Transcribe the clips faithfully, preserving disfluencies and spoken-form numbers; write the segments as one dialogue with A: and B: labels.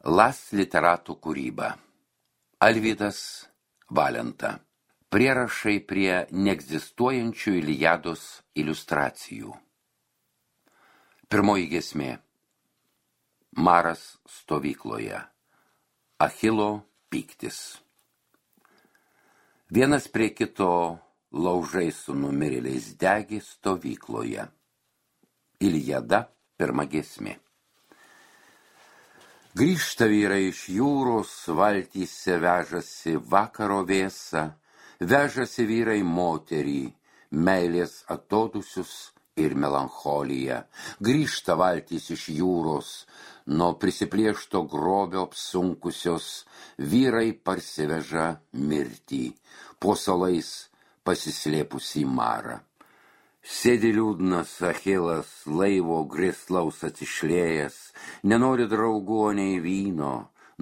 A: Las literatų kūryba. Alvydas Valenta. Prierašai prie neegzistuojančių Iliados iliustracijų. Pirmoji giesmė. Maras stovykloje. Achilo pyktis. Vienas prie kito laužai su numirėliais degi stovykloje. Iliada, pirma giesmė. Grįžta vyrai iš jūros, valtyse vežasi vakaro vėsą, vežasi vyrai moterį, meilės atodusius ir melancholiją. Grįžta valtys iš jūros, nuo prisiplėšto grobio apsunkusios, vyrai parsiveža mirtį, po salais pasislėpusį marą. Sėdi liūdnas Achilas, laivo grislaus atsišlėjęs, nenori draugų, nei vyno,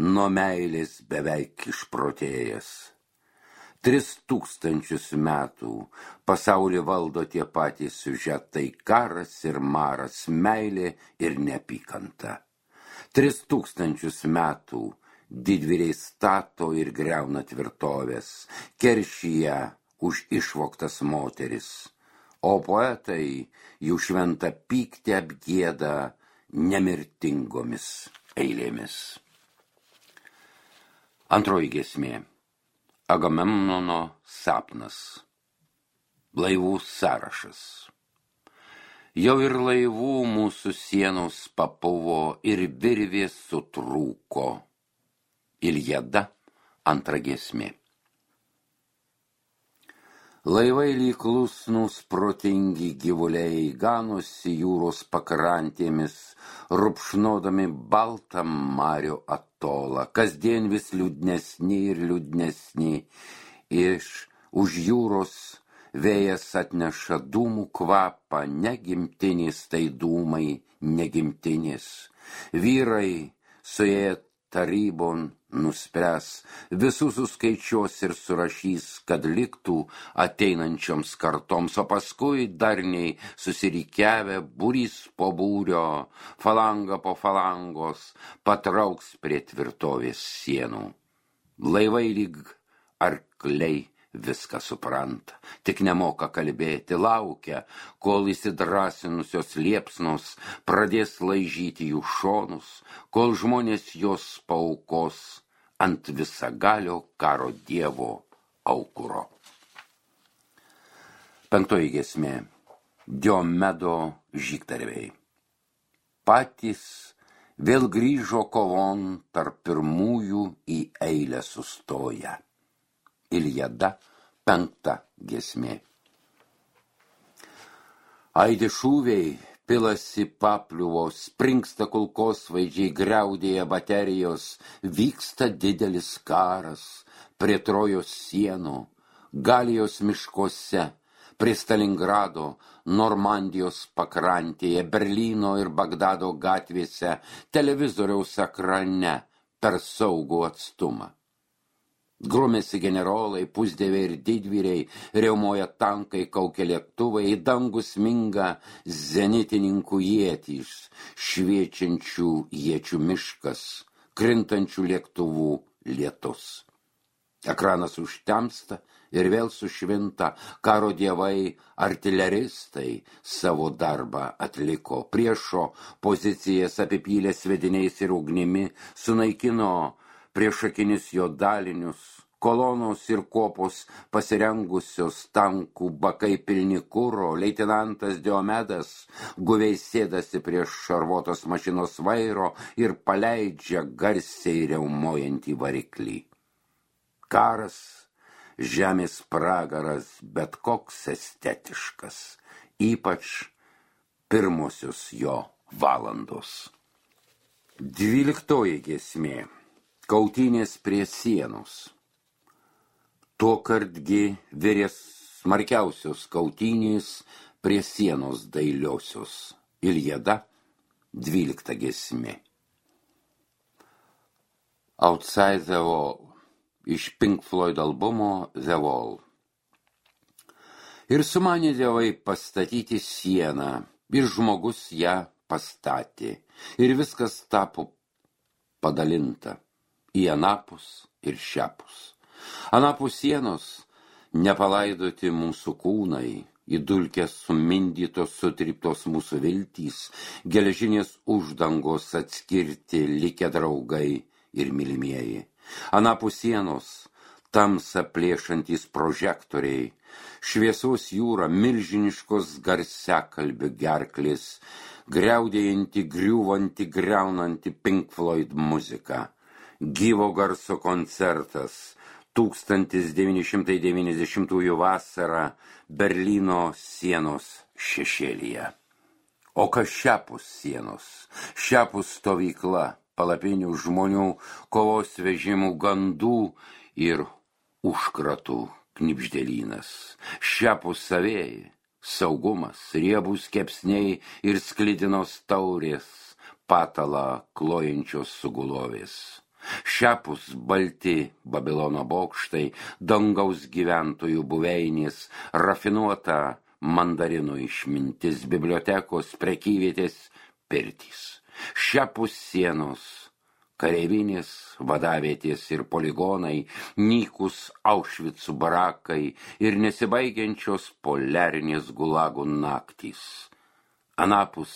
A: nuo meilės beveik išprotėjęs. Tris tūkstančius metų pasaulį valdo tie patys siužetai, karas ir maras, meilė ir neapykanta. Tris tūkstančius metų didvyriai stato ir griauna tvirtovės, keršyje už išvogtas moteris. O poetai jų šventą pyktį apgieda nemirtingomis eilėmis. Antroji giesmė. Agamemnono sapnas. Laivų sąrašas. Jau ir laivų mūsų sienos papuvo ir virvės sutrūko. Iliada, antra giesmė. Laivai lyg klusnūs protingi gyvuliai ganosi jūros pakrantėmis, rupšnodami baltą marių atolą, kasdien vis liūdnesni ir liūdnesni. Iš už jūros vėjas atneša dūmų kvapą, negimtinis tai dūmai, negimtinis. Vyrai suėję tarybon nuspręs, visus suskaičiuos ir surašys, kad liktų ateinančioms kartoms, o paskui darniai susirikiavę būrys po būrio, falanga po falangos, patrauks prie tvirtovės sienų. Laivai lyg arkliai viską supranta, tik nemoka kalbėti, laukia, kol įsidrasinusios liepsnos pradės laižyti jų šonus, kol žmonės jos paaukos ant visagalio karo dievo aukuro. Penktoji giesmė. Diomedo žygdarbiai. Patys vėl grįžo kovon tarp pirmųjų į eilę sustoję. Iliada, penkta giesmė. Aidi šūviai, pilasi papliuvos, springsta kulkosvaidžiai, griaudėja baterijos, vyksta didelis karas prie Trojos sienų, Galijos miškuose, prie Stalingrado, Normandijos pakrantėje, Berlyno ir Bagdado gatvėse, televizoriaus ekrane per saugų atstumą. Grumėsi generolai, pusdieviai ir didvyriai, riaumoja tankai, kaukia lėktuvai, į dangų sminga zenitininkų ietys, šviečiančių iečių miškas, krintančių lėktuvų lietus. Ekranas užtemsta ir vėl sušvinta, karo dievai, artileristai savo darbą atliko, priešo pozicijas apipylė svediniais ir ugnimi, sunaikino priešakinius jo dalinius, kolonos ir kopos pasirengusios tankų bakai pilni kuro, leitenantas Diomedas guviai sėdasi prieš šarvuotos mašinos vairo ir paleidžia garsiai riaumojantį variklį. Karas, žemės pragaras, bet koks estetiškas, ypač pirmosios jo valandos. Dvyliktoji giesmė. Kautynės prie sienos. Tuokardgi virės smarkiausios kautynės prie sienos dailiosios. Iliada, dvylikta giesmė. Outside the Wall. Iš Pink Floyd albumo The Wall. Ir sumanė dievai pastatyti sieną, ir žmogus ją pastatė, ir viskas tapo padalinta į anapus ir šiapus. Anapus sienos nepalaidoti mūsų kūnai, į dulkes sumindytos, sutryptos mūsų viltys, geležinės uždangos atskirti likę draugai ir mylimieji. Anapus sienos tamsą plėšantys prožektoriai, šviesos jūra, milžiniškos garsiakalbių gerklės, griaudėjanti, griūvanti, griaunanti Pink Floyd muzika, gyvo garso koncertas, tūkstantis devyni šimtai devyniasdešimtųjų vasarą Berlyno sienos šešėlyje. O kas šiapus sienos, šiapus stovykla, palapinių žmonių, kovos vežimų, gandų ir užkratų knibždėlynas, šiapus savėjai, saugumas, riebūs kepsniai ir sklidinos taurės, patalą klojančios sugulovės. Šiapus balti Babilono bokštai, dangaus gyventojų buveinės, rafinuota mandarinų išmintis, bibliotekos, prekyvietės, pirtys. Šiapus sienos, kareivinės, vadavietės ir poligonai, nykus Aušvicų barakai ir nesibaigiančios poliarinės gulagų naktys. Anapus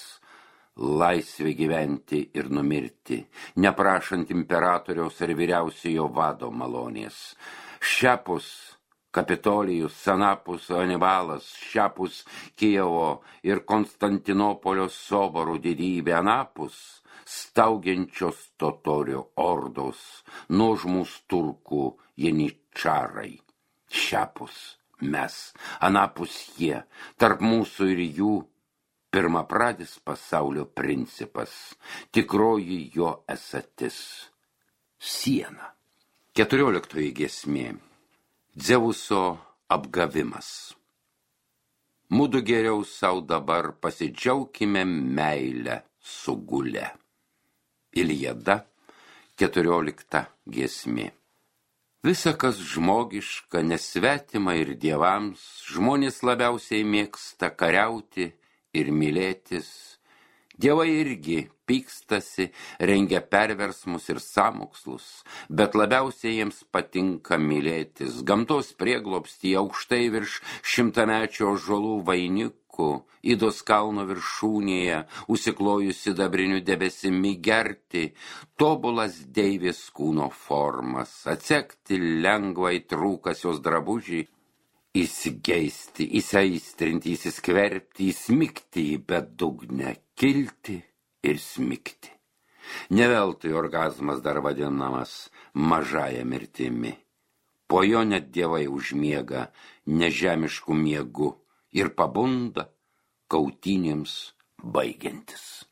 A: laisvė gyventi ir numirti, neprašant imperatoriaus ar vyriausiojo vado malonės. Šiapus Kapitolijus, anapus Anibalas, šiapus Kijevo ir Konstantinopolio soborų didybė, anapus staugiančios totorių ordos, nuožmūs turkų jeničarai. Šiapus mes, anapus jie, tarp mūsų ir jų, pirmapradis pasaulio principas, tikroji jo esatis – siena. Keturioliktoji giesmė – Dzeuso apgavimas. Mudu geriau sau dabar pasidžiaukime meilę sugulę. Iliada, keturiolikta giesmė. Visa, kas žmogiška, nesvetima ir dievams, žmonės labiausiai mėgsta kariauti ir mylėtis. Dievai irgi pykstasi, rengia perversmus ir sąmokslus, bet labiausiai jiems patinka mylėtis. Gamtos prieglobstyje aukštai virš šimtamečio ąžuolų vainikų, Idos kalno viršūnėje, užsiklojus sidabriniu debesimi, gerti tobulas deivės kūno formas, atsekti lengvai trūkas jos drabužį, įsigeisti, įsiaistrinti, įsiskverbti, įsmigti į bedugnę, kilti ir smigti. Neveltui orgazmas dar vadinamas mažąja mirtimi. Po jo net dievai užmiega nežemiškų miegų ir pabunda kautynėms baigiantis.